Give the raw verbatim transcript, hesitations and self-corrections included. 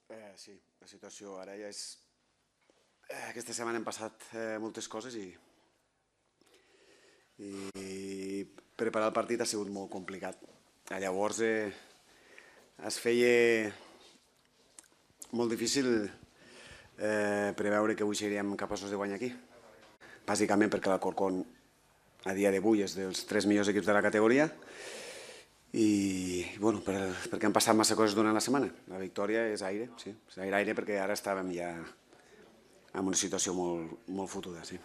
Eh, sí, la situació ara ja és... Eh, aquesta setmana hem passat eh, moltes coses i, i preparar el partit ha sigut molt complicat. Eh, llavors eh, es feia molt difícil eh, preveure que avui seríem capaços de guanyar aquí. Bàsicament perquè l'Alcorcón a dia d'avui és dels tres millors equips de la categoria i bueno, per, perquè han passat massa coses durant la setmana. La victòria és aire, sí, és aire, aire perquè ara estàvem ja en una situació molt, molt fotuda, sí.